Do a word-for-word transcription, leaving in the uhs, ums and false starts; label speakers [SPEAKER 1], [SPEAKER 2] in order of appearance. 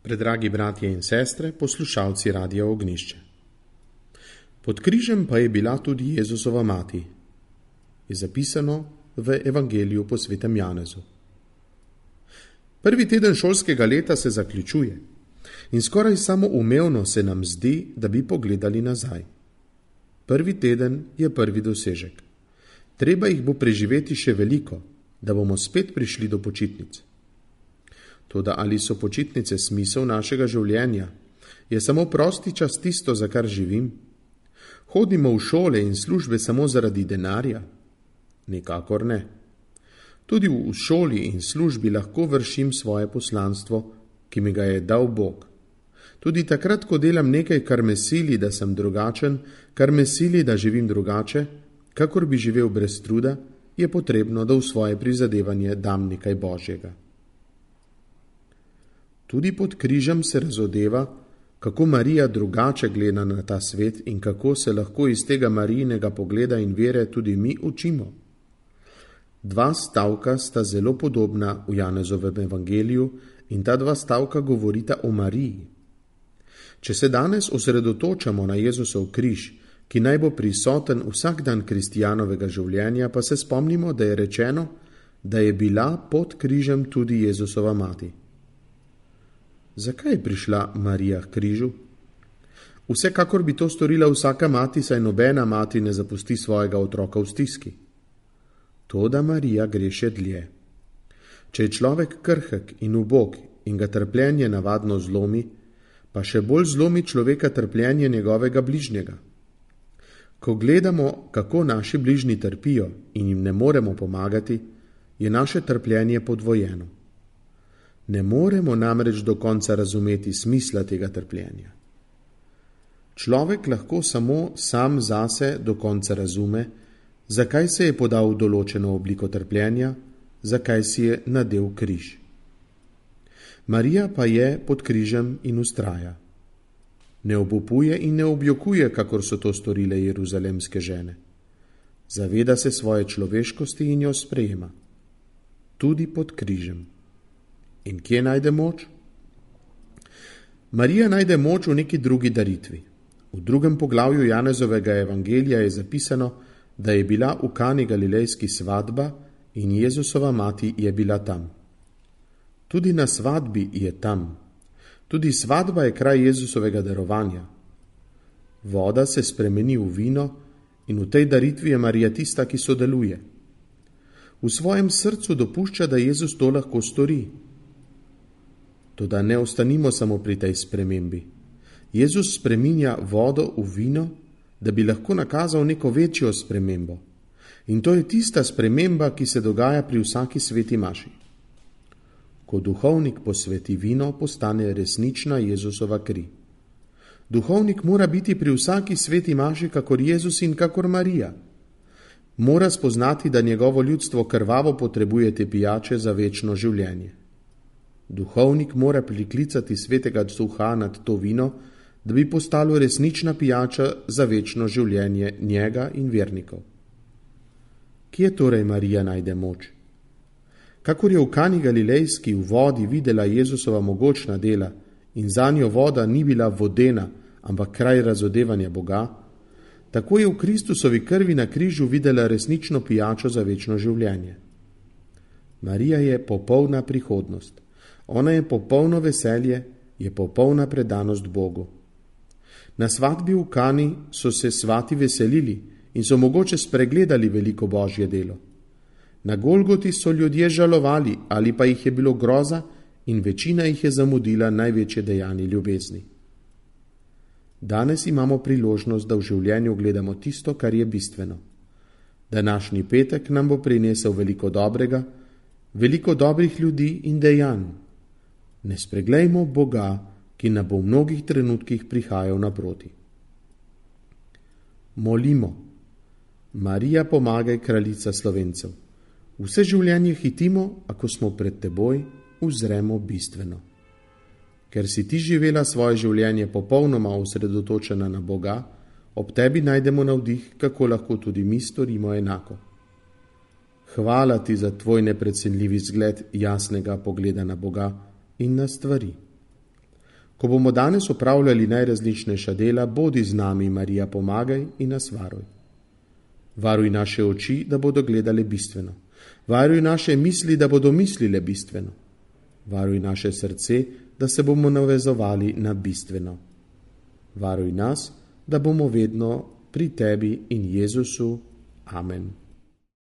[SPEAKER 1] Predragi bratje in sestre, poslušalci Radia Ognjišče. Pod križem pa je bila tudi Jezusova mati, je zapisano v Evangeliju po svetem Janezu. Prvi teden šolskega leta se zaključuje in skoraj samoumevno se nam zdi, da bi pogledali nazaj. Prvi teden je prvi dosežek. Treba jih bo preživeti še veliko, da bomo spet prišli do počitnic. Toda ali so počitnice smisel našega življenja? Je samo prosti čas tisto, za kar živim? Hodimo v šole in službe samo zaradi denarja? Nikakor ne. Tudi v šoli in službi lahko vršim svoje poslanstvo, ki mi ga je dal Bog. Tudi takrat, ko delam nekaj, kar me sili, da sem drugačen, kar me sili, da živim drugače, kakor bi živel brez truda, je potrebno, da v svoje prizadevanje dam nekaj Božjega. Tudi pod križem se razodeva, kako Marija drugače gleda na ta svet in kako se lahko iz tega Marijinega pogleda in vere tudi mi učimo. Dva stavka sta zelo podobna v Janezovem evangeliju in ta dva stavka govorita o Mariji. Če se danes osredotočamo na Jezusov križ, ki naj bo prisoten vsak dan kristjanovega življenja, pa se spomnimo, da je rečeno, da je bila pod križem tudi Jezusova mati. Zakaj je prišla Marija k križu? Vsekakor bi to storila vsaka mati, saj nobena mati ne zapusti svojega otroka v stiski. Toda Marija gre še dlje. Če je človek krhek in ubog in ga trpljenje navadno zlomi, pa še bolj zlomi človeka trpljenje njegovega bližnjega. Ko gledamo, kako naši bližnji trpijo in jim ne moremo pomagati, je naše trpljenje podvojeno. Ne moremo namreč do konca razumeti smisla tega trpljenja. Človek lahko samo sam zase do konca razume, zakaj se je podal v določeno obliko trpljenja, zakaj si je nadel križ. Marija pa je pod križem in vztraja. Ne obupuje in ne objokuje, kakor so to storile jeruzalemske žene. Zaveda se svoje človeškosti in jo sprejema. Tudi pod križem. In kje najde moč? Marija najde moč v neki drugi daritvi. V drugem poglavju Janezovega evangelija je zapisano, da je bila v Kani Galilejski svadba in Jezusova mati je bila tam. Tudi na svadbi je tam. Tudi svadba je kraj Jezusovega darovanja. Voda se spremeni v vino in v tej daritvi je Marija tista, ki sodeluje. V svojem srcu dopušča, da Jezus to lahko stori. Toda ne ostanimo samo pri tej spremembi. Jezus spreminja vodo v vino, da bi lahko nakazal neko večjo spremembo. In to je tista sprememba, ki se dogaja pri vsaki sveti maši. Ko duhovnik posveti vino, postane resnična Jezusova kri. Duhovnik mora biti pri vsaki sveti maši kakor Jezus in kakor Marija. Mora spoznati, da njegovo ljudstvo krvavo potrebuje te pijače za večno življenje. Duhovnik mora priklicati svetega duha nad to vino, da bi postalo resnična pijača za večno življenje njega in vernikov. Kje torej Marija najde moč? Kakor je v Kani Galilejski v vodi videla Jezusova mogočna dela in zanjo voda ni bila vodena, ampak kraj razodevanja Boga, tako je v Kristusovi krvi na križu videla resnično pijačo za večno življenje. Marija je popolna prihodnost. Ona je popolno veselje, je popolna predanost Bogu. Na svadbi v Kani so se svati veselili in so mogoče spregledali veliko Božje delo. Na Golgoti so ljudje žalovali ali pa jih je bilo groza in večina jih je zamudila največje dejanje ljubezni. Danes imamo priložnost, da v življenju gledamo tisto, kar je bistveno. Današnji petek nam bo prinesel veliko dobrega, veliko dobrih ljudi in dejanj. Ne spreglejmo Boga, ki nam bo v mnogih trenutkih prihajal naproti. Molimo. Marija, pomagaj, kraljica Slovencev. Vse življenje hitimo, ako smo pred teboj, uzremo bistveno. Ker si ti živela svoje življenje popolnoma osredotočena na Boga, ob tebi najdemo navdih, kako lahko tudi mi storimo enako. Hvala ti za tvoj neprecenljivi zgled jasnega pogleda na Boga in na stvari. Ko bomo danes opravljali najrazličnejša dela, bodi z nami, Marija, pomagaj in nas varuj. Varuj naše oči, da bodo gledale bistveno. Varuj naše misli, da bodo mislile bistveno. Varuj naše srce, da se bomo navezovali na bistveno. Varuj nas, da bomo vedno pri tebi in Jezusu. Amen.